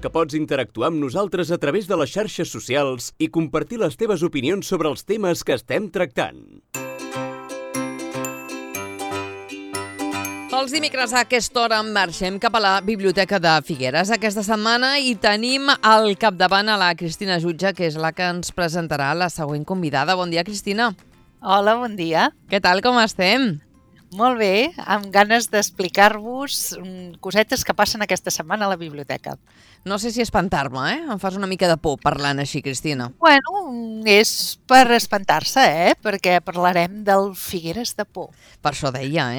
que pots interactuar amb nosaltres a través de les xarxes socials i compartir les teves opinions sobre els temes que estem tractant. Els dimecres a aquesta hora marxem cap a la Biblioteca de Figueres aquesta setmana i tenim al capdavant a la Cristina Jutge, que és la que ens presentarà la següent convidada. Bon dia, Cristina. Hola, bon dia. Què tal, com estem? Molt bé, amb ganes d'explicar-vos cosetes que passen aquesta setmana a la biblioteca. No sé si espantar-me, Em fas una mica de por parlant així, Cristina. Bueno, és per espantar-se, Perquè parlarem del Figueres de Por. Per això deia,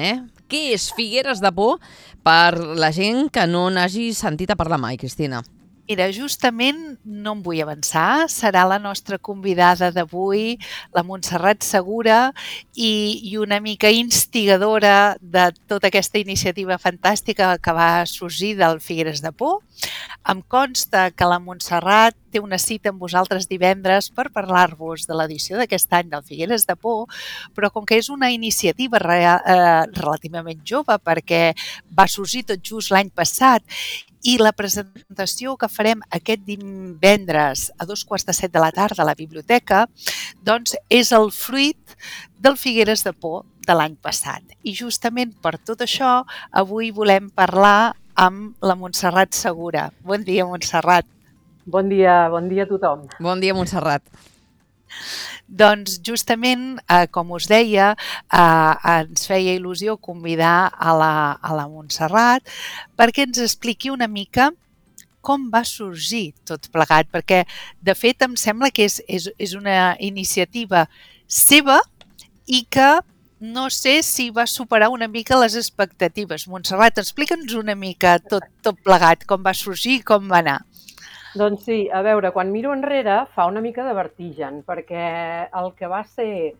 Què és Figueres de Por per la gent que no n'hagi sentit a parlar mai, Cristina? Mira, justament no em vull avançar, serà la nostra convidada d'avui, la Montserrat Segura, i una mica instigadora de tota aquesta iniciativa fantàstica que va sorgir del Figueres de Por. Em consta que la Montserrat té una cita amb vosaltres divendres per parlar-vos de l'edició d'aquest any del Figueres de Por, però com que és una iniciativa relativament jove, perquè va sorgir tot just l'any passat, i la presentació que farem aquest divendres a 7:15 p.m. a la biblioteca, doncs és el fruit del Figueres de Por de l'any passat. I justament per tot això, avui volem parlar amb la Montserrat Segura. Bon dia, Montserrat. Bon dia a tothom. Bon dia, Montserrat. Doncs justament, com us deia, ens feia il·lusió convidar a la Montserrat perquè ens expliqui una mica com va sorgir tot plegat, perquè de fet em sembla que és una iniciativa seva i que no sé si va superar una mica les expectatives. Montserrat, explica'ns una mica tot plegat, com va sorgir i com va anar. Doncs sí, a veure, quan miro enrere fa una mica de vertigen, perquè el que va ser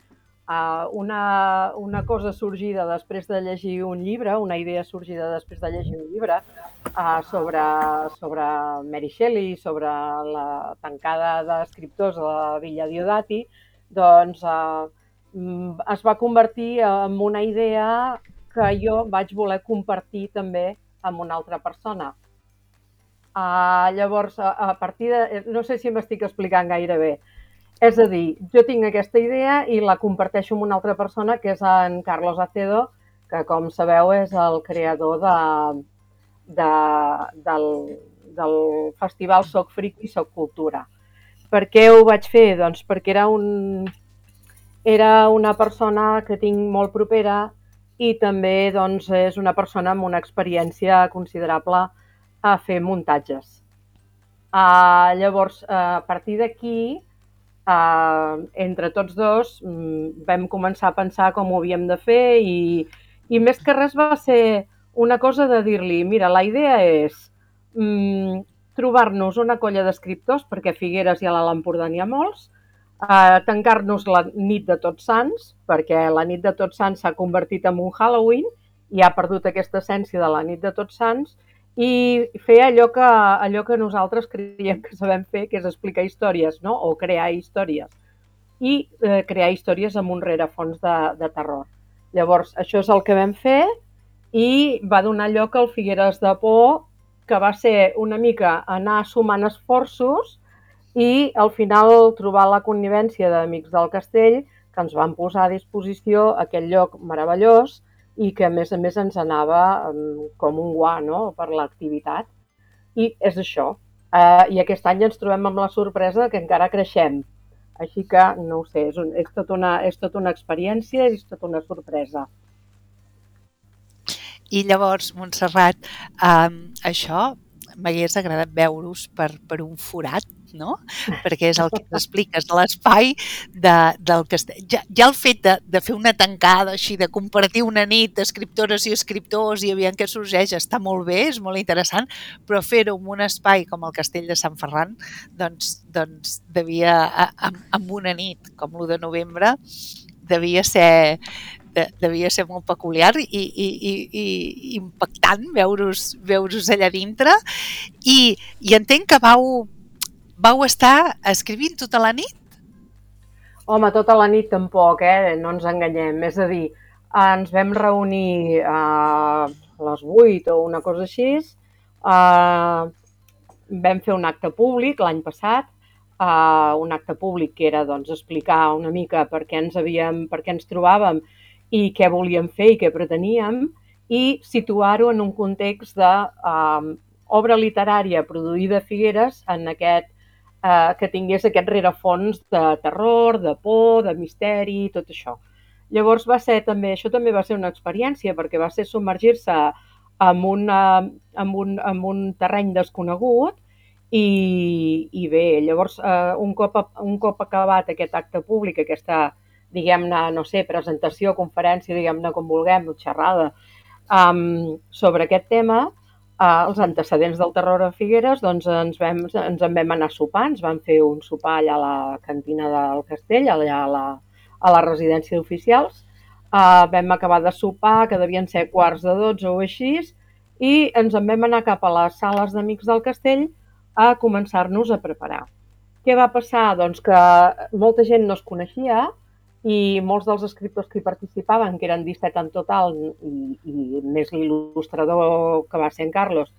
una cosa sorgida després de llegir un llibre, una idea sorgida després de llegir un llibre sobre Mary Shelley, sobre la tancada d'escriptors a la Villa Diodati, doncs es va convertir en una idea que jo vaig voler compartir també amb una altra persona. Llavors, a partir de... No sé si m'estic explicant gaire bé. És a dir, jo tinc aquesta idea i la comparteixo amb una altra persona, que és en Carlos Acedo, que, com sabeu, és el creador del festival Soc Friki, Soc Cultura. Per què ho vaig fer? Doncs perquè era una persona que tinc molt propera i també doncs, és una persona amb una experiència considerable a fer muntatges. Llavors, a partir d'aquí, entre tots dos, vam començar a pensar com ho havíem de fer i més que res va ser una cosa de dir-li, mira, la idea és trobar-nos una colla d'escriptors, perquè a Figueres i a l'Alt Empordà n'hi ha molts, tancar-nos la nit de Tots Sants, perquè la nit de Tots Sants s'ha convertit en un Halloween i ha perdut aquesta essència de la nit de Tots Sants, i fer allò que nosaltres creiem que sabem fer, que és explicar històries, no? O crear històries. I crear històries amb un rerefons de terror. Llavors, això és el que vam fer i va donar lloc al Figueres de Por, que va ser una mica anar sumant esforços i al final trobar la connivència d'Amics del Castell, que ens van posar a disposició aquest lloc meravellós i que a més ens anava com un guà, no?, per l'activitat. I és això. I aquest any ens trobem amb la sorpresa que encara creixem. Així que, no ho sé, és tot una experiència i és tota una sorpresa. I llavors, Montserrat, això m'hagués agradat veure-us per un forat, no? Perquè és el que t'expliques de l'espai del castell. Ja el fet de fer una tancada així, de compartir una nit d'escriptores i escriptors i aviam què sorgeix, està molt bé, és molt interessant, però fer-ho en un espai com el Castell de Sant Ferran, doncs devia, amb una nit com l'1 de novembre, devia ser molt peculiar i impactant veure-us allà dintre. I entenc que vau estar escrivint tota la nit? Home, tota la nit tampoc, no ens enganyem. És a dir, ens vam reunir a les 8 o una cosa així, vam fer un acte públic l'any passat, un acte públic que era doncs, explicar una mica per què ens trobàvem i què volíem fer i què preteníem, i situar-ho en un context d'obra literària produïda a Figueres en que tingués aquest rerefons de terror, de por, de misteri, tot això. Llavors això també va ser una experiència, perquè va ser submergir-se en un terreny desconegut i bé, llavors un cop acabat aquest acte públic, aquesta, diguem-ne, no sé, presentació, conferència, diguem-ne com vulguem, xerrada, sobre aquest tema, els antecedents del terror a Figueres, doncs ens en vam anar a sopar, ens vam fer un sopar allà a la cantina del Castell, allà a la residència d'oficials. Vam acabar de sopar, que devien ser 11:45 o així, i ens en vam anar cap a les sales d'Amics del Castell a començar-nos a preparar. Què va passar? Doncs que molta gent no es coneixia i molts dels escriptors que hi participaven, que eren 17 en total, i més l'il·lustrador que va ser en Carlos,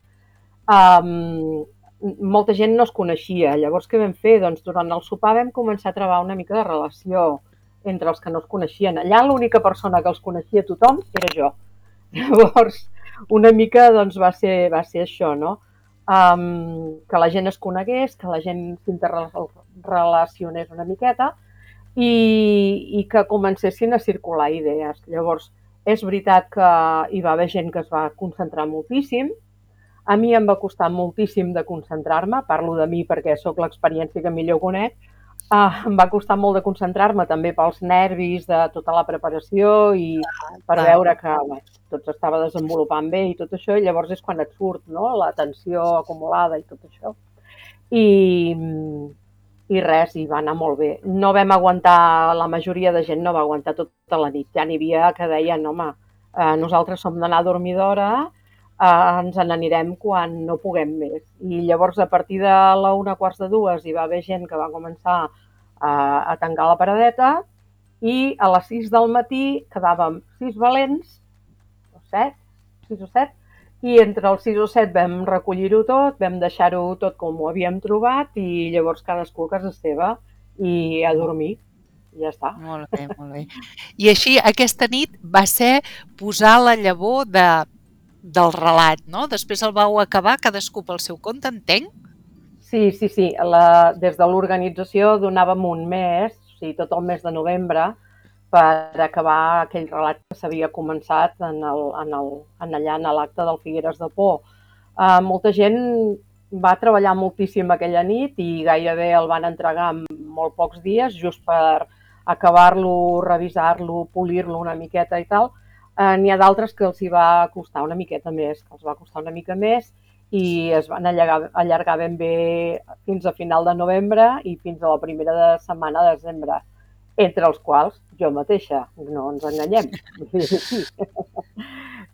molta gent no es coneixia. Llavors, què vam fer? Doncs durant el sopar vam començar a trobar una mica de relació entre els que no es coneixien. Allà l'única persona que els coneixia tothom era jo. Llavors, una mica doncs, va ser això, no? Que la gent es conegués, que la gent s'interrelacionés una miqueta i que comencessin a circular idees. Llavors, és veritat que hi va haver gent que es va concentrar moltíssim. A mi em va costar moltíssim de concentrar-me, parlo de mi perquè sóc l'experiència que millor conec. Em va costar molt de concentrar-me també pels nervis de tota la preparació i per veure que tot s'estava desenvolupant bé i tot això, i llavors és quan et surt, no?, la tensió acumulada i tot això. I res, i va anar molt bé. No vam aguantar, la majoria de gent no va aguantar tota la nit. Ja n'hi havia que deien, home, nosaltres som d'anar a dormir d'hora, ens n'anirem quan no puguem més. I llavors, a partir de la 1:15 hi va haver gent que va començar a tancar la paradeta i a les 6 del matí quedàvem 6 valents, 6 o 7, i entre els 6 o 7 vam recollir-ho tot, vam deixar-ho tot com ho havíem trobat i llavors cadascú a casa seva i a dormir. I ja està. Molt bé, molt bé. I així, aquesta nit va ser posar la llavor del relat, no? Després el vau acabar cadascú pel seu compte, entenc? Sí. Des de l'organització donàvem un mes, o sigui, tot el mes de novembre, per acabar aquell relat que s'havia començat allà en l'acte del Figueres de Por. Molta gent va treballar moltíssim aquella nit i gairebé el van entregar en molt pocs dies, just per acabar-lo, revisar-lo, polir-lo una miqueta i tal. N'hi ha d'altres que els hi va costar una miqueta més, i es van allargar ben bé fins a final de novembre i fins a la primera setmana de desembre, entre els quals jo mateixa, no ens enganyem.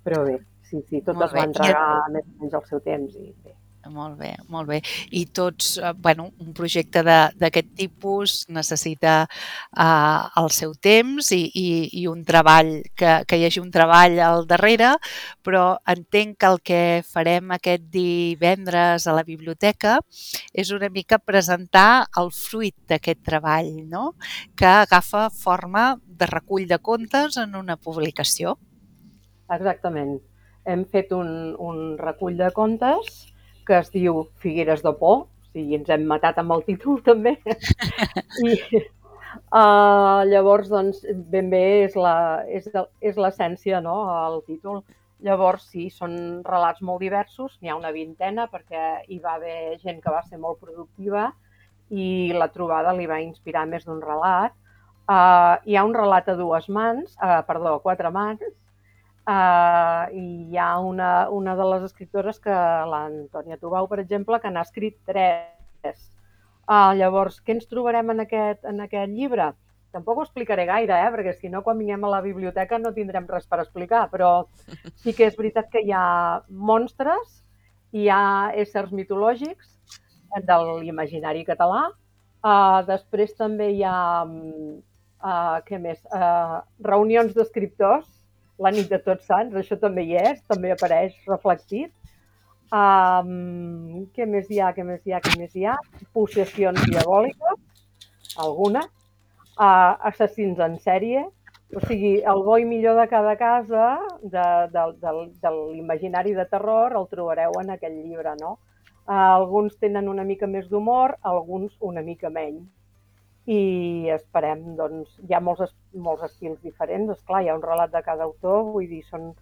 Però bé, sí, tot es va entregar més o menys al seu temps i bé. Molt bé, molt bé. I tots, un projecte d'aquest tipus necessita el seu temps i un treball, que hi hagi un treball al darrere, però entenc que el que farem aquest divendres a la biblioteca és una mica presentar el fruit d'aquest treball, no?, que agafa forma de recull de contes en una publicació. Exactament. Hem fet un recull de contes que es diu Figueres de Por, o sigui, ens hem matat amb el títol també. I llavors, doncs, ben bé és l'essència, no?, el títol. Llavors, sí, són relats molt diversos, n'hi ha una vintena perquè hi va haver gent que va ser molt productiva i la trobada li va inspirar més d'un relat. Hi ha un relat a quatre mans, i hi ha una de les escriptores, que l'Antònia Tubau, per exemple, que n'ha escrit 3. Llavors, què ens trobarem en aquest llibre? Tampoc ho explicaré gaire, perquè si no, quan vinguem a la biblioteca no tindrem res per explicar, però sí que és veritat que hi ha monstres, hi ha éssers mitològics de l'imaginari català, després també hi ha, què més? Reunions d'escriptors, la nit de Tots Sants, això també hi és, també apareix reflectit. Què més hi ha? Possessions diabòliques, alguna. Assassins en sèrie. O sigui, el bo i millor de cada casa de l'imaginari de terror el trobareu en aquest llibre, no? Alguns tenen una mica més d'humor, alguns una mica menys. I esperem, doncs, hi ha molts estils diferents, esclar, hi ha un relat de cada autor, vull dir, són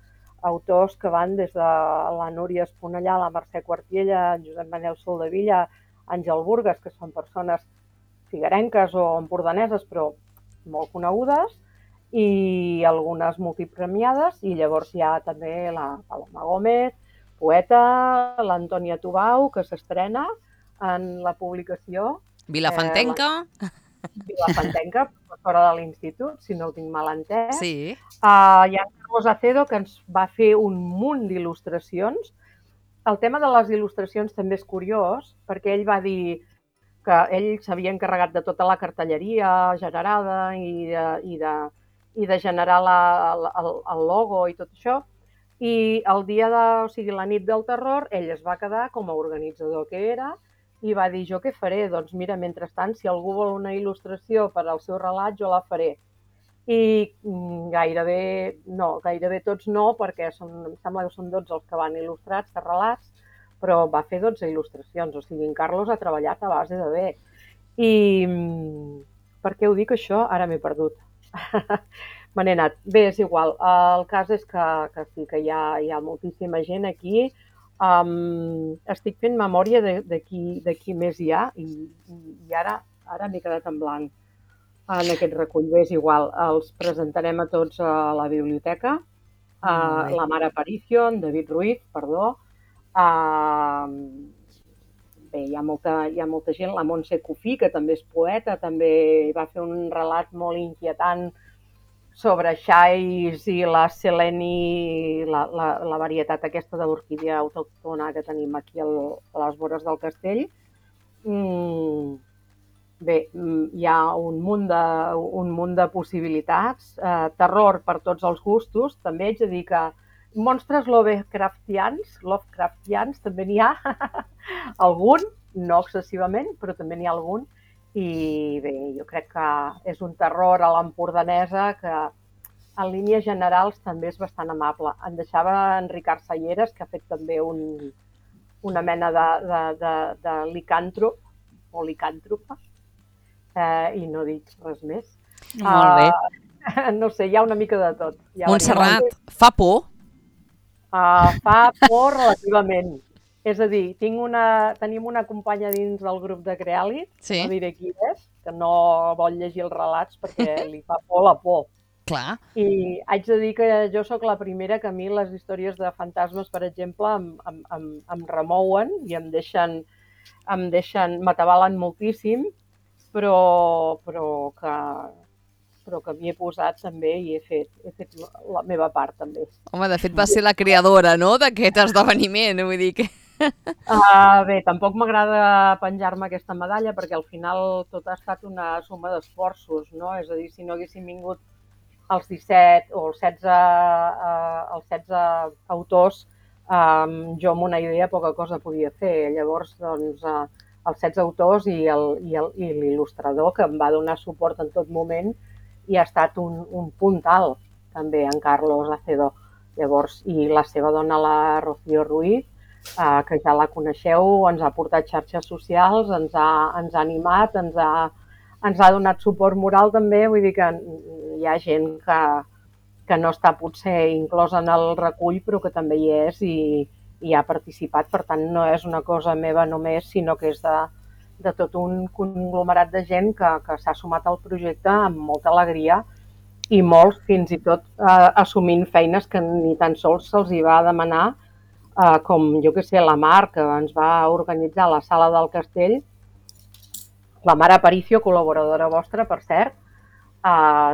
autors que van des de la Núria Esponellà, la Mercè Quartiella, Josep Manel Soldevilla, Àngel Burgas, que són persones figuerenques o empordaneses, però molt conegudes, i algunes multipremiades, i llavors hi ha també la Paloma Gómez, poeta, l'Antònia Tubau, que s'estrena en la publicació. Vilafantenca. Vilafantenca, professora de l'institut, si no ho tinc mal entès. Sí. Hi ha Carlos Acedo, que ens va fer un munt d'il·lustracions. El tema de les il·lustracions també és curiós, perquè ell va dir que ell s'havia encarregat de tota la cartelleria generada i de generar el logo i tot això. I el dia o sigui, la nit del terror, ell es va quedar com a organitzador que era i va dir, jo què faré? Doncs mira, mentrestant, si algú vol una il·lustració per al seu relat, jo la faré. I gairebé tots no, perquè em sembla que són 12 els que van il·lustrats de relats, però va fer 12 il·lustracions, o sigui, en Carlos ha treballat a base de bé. I per què ho dic això? Ara m'he perdut. Me n'he anat. Bé, és igual. El cas és que sí, que hi ha moltíssima gent aquí. Estic fent memòria de qui més hi ha i ara m'he quedat en blanc en aquest recull. Bé, és igual. Els presentarem a tots a la biblioteca. La Mare Aparicio, en David Ruiz, perdó. Bé, hi ha molta gent. La Montse Cufí, que també és poeta, també va fer un relat molt inquietant sobre xais i la seleni, la varietat aquesta d'orquídea autòctona que tenim aquí a les vores del castell. Bé, hi ha un munt de possibilitats. Terror per tots els gustos. També haig de dir que monstres Lovecraftians també n'hi ha algun, no excessivament, però també n'hi ha algun. I bé, jo crec que és un terror a l'empordanesa que en línies generals també és bastant amable. Em deixava en Ricard Salleres, que ha fet també una mena de licàntrop o licàntropa, i no dic res més. Molt bé. No sé, hi ha una mica de tot. Montserrat, fa por? Fa por relativament. És a dir, tenim una companya dins del grup de Creàlit, sí. No diré qui és, que no vol llegir els relats perquè li fa por la por. Clar. I haig de dir que jo sóc la primera que a mi les històries de fantasmes, per exemple, em remouen i em deixen, m'atabalen moltíssim, però que m'hi he posat també i he fet la meva part també. Home, de fet va ser la creadora, no?, d'aquest esdeveniment, vull dir que... Bé, tampoc m'agrada penjar-me aquesta medalla perquè al final tot ha estat una suma d'esforços, no? És a dir, si no haguéssim vingut els 17 o els 16 autors, jo amb una idea poca cosa podia fer. Llavors, doncs, els 16 autors i l'il·lustrador que em va donar suport en tot moment i ha estat un punt alt, també, en Carlos Acedo. Llavors, i la seva dona, la Rocío Ruiz, que ja la coneixeu, ens ha portat xarxes socials, ens ha animat, ens ha donat suport moral també, vull dir que hi ha gent que no està potser inclosa en el recull, però que també hi és i ha participat. Per tant, no és una cosa meva només, sinó que és de tot un conglomerat de gent que s'ha sumat al projecte amb molta alegria i molts fins i tot assumint feines que ni tan sols se'ls hi va demanar, com, jo que sé, la Mar, que ens va organitzar la sala del castell, la Mare Aparicio, col·laboradora vostra, per cert,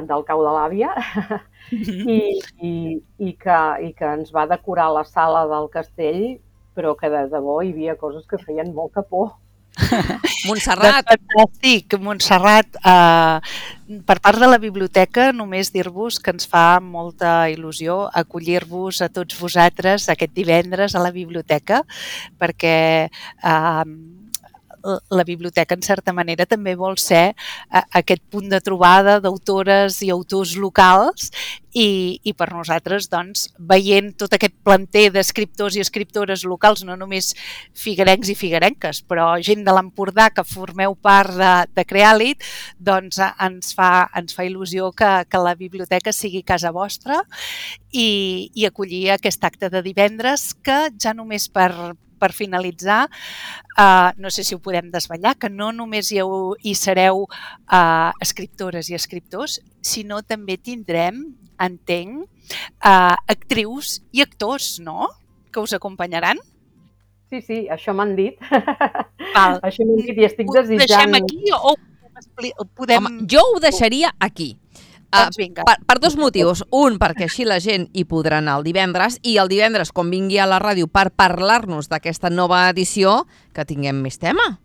del Cau de l'Àvia, i que ens va decorar la sala del castell, però que de debò hi havia coses que feien molta por. Montserrat. Fantàstic, Montserrat. Per part de la biblioteca, només dir-vos que ens fa molta il·lusió acollir-vos a tots vosaltres aquest divendres a la biblioteca, perquè la biblioteca, en certa manera, també vol ser aquest punt de trobada d'autores i autors locals i per nosaltres, doncs, veient tot aquest planter d'escriptors i escriptores locals, no només figuerencs i figuerenques, però gent de l'Empordà que formeu part de Creàlit, doncs ens fa il·lusió que la biblioteca sigui casa vostra i acollir aquest acte de divendres que ja només per finalitzar, no sé si ho podem desvetllar, que no només hi sereu escriptores i escriptors, sinó també tindrem, entenc, actrius i actors, no?, que us acompanyaran. Sí, això m'han dit. Val. Això m'han dit i estic desitjant... Ho deixem aquí o podem... Home, jo ho deixaria aquí. Doncs vinga. Per dos motius. Un, perquè així la gent hi podrà anar el divendres, i el divendres, quan vingui a la ràdio per parlar-nos d'aquesta nova edició, que tinguem més tema.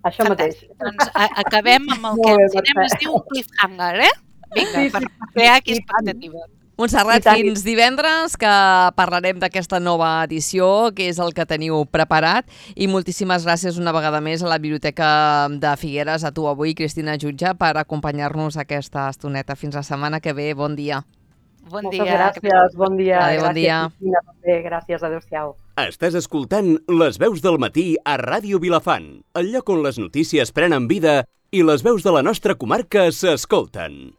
Això mateix. Doncs acabem amb el que en cinema es diu cliffhanger, Vinga, Sí. per crear aquí expectativa. Montserrat, fins divendres, que parlarem d'aquesta nova edició, que és el que teniu preparat, i moltíssimes gràcies una vegada més a la Biblioteca de Figueres, a tu avui, Cristina Jutge, per acompanyar-nos aquesta estoneta. Fins la setmana que ve. Bon dia. Bon Moltes dia. gràcies, bon dia. Adéu, bon dia. Gràcies, Cristina, també. Gràcies, adéu-siau. Estàs escoltant Les veus del matí a Ràdio Vilafant, el lloc on les notícies prenen vida i les veus de la nostra comarca s'escolten.